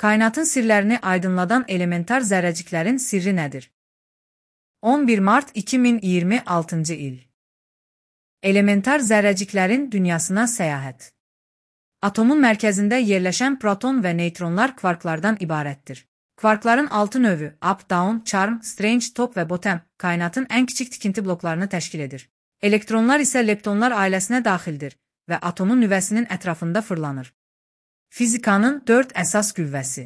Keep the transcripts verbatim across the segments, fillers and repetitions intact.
Kainatın sirlərini aydınladan elementar zərrəciklərin sirri nədir? on bir mart iki min iyirmi altıncı il. Elementar zərrəciklərin dünyasına səyahət. Atomun mərkəzində yerləşən proton və neytronlar kvarklardan ibarətdir. Kvarkların altı növü up, down, charm, strange, top və bottom kainatın ən kiçik tikinti bloklarını təşkil edir. Elektronlar isə leptonlar ailəsinə daxildir və atomun nüvəsinin ətrafında fırlanır. Fizikanın dörd əsas qüvvəsi.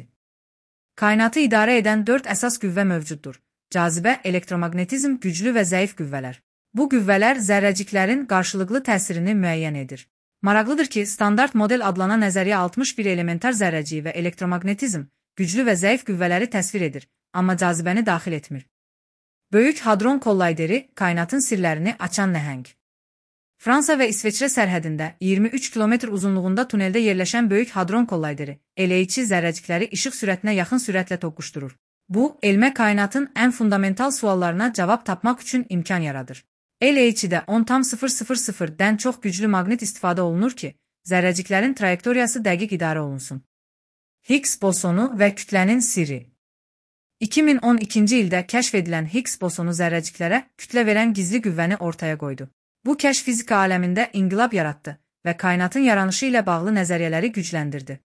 Kainatı idarə edən dörd əsas qüvvə mövcuddur. Cazibə, elektromagnetizm, güclü və zəif qüvvələr. Bu qüvvələr zərrəciklərin qarşılıqlı təsirini müəyyən edir. Maraqlıdır ki, standart model adlanan nəzəriyyə altmış bir elementar zərrəciyi və elektromagnetizm, güclü və zəif qüvvələri təsvir edir, amma cazibəni daxil etmir. Böyük Hadron Kollayderi kainatın sirlərini açan nəhəng. Fransa və İsveçrə sərhədində iyirmi üç kilometr uzunluğunda tuneldə yerləşən Böyük Hadron Kollayderi L H C zərrəcikləri işıq sürətinə yaxın sürətlə toqquşdurur. Bu, elmə kainatın ən fundamental suallarına cavab tapmaq üçün imkan yaradır. L H C-də on tam sıfır sıfır sıfırdən çox güclü maqnit istifadə olunur ki, zərrəciklərin trayektoriyası dəqiq idarə olunsun. Higgs bosonu və kütlənin sirri. iki min on ikinci ildə kəşf edilən Higgs bosonu zərrəciklərə kütlə verən gizli qüvvəni ortaya qoydu. Bu kəşf fizika aləmində inqilab yaratdı və kainatın yaranışı ilə bağlı nəzəriyyələri gücləndirdi.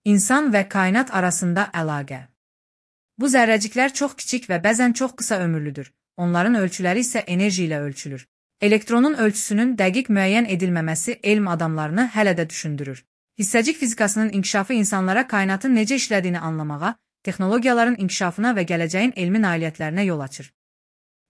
İnsan və kainat arasında əlaqə. Bu zərrəciklər çox kiçik və bəzən çox qısa ömürlüdür. Onların ölçüləri isə enerji ilə ölçülür. Elektronun ölçüsünün dəqiq müəyyən edilməməsi elm adamlarını hələ də düşündürür. Hissəcik fizikasının inkişafı insanlara kainatın necə işlədiyini anlamağa, texnologiyaların inkişafına və gələcəyin elmi nailiyyətlərinə yol açır.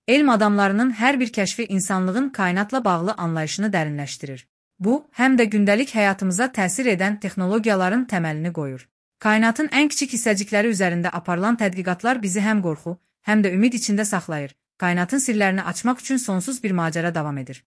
Elm adamlarının hər bir kəşfi insanlığın kainatla bağlı anlayışını dərinləşdirir. Bu, həm də gündəlik həyatımıza təsir edən texnologiyaların təməlini qoyur. Kainatın ən kiçik hissəcikləri üzərində aparılan tədqiqatlar bizi həm qorxu, həm də ümid içində saxlayır. Kainatın sirlərini açmaq üçün sonsuz bir macəra davam edir.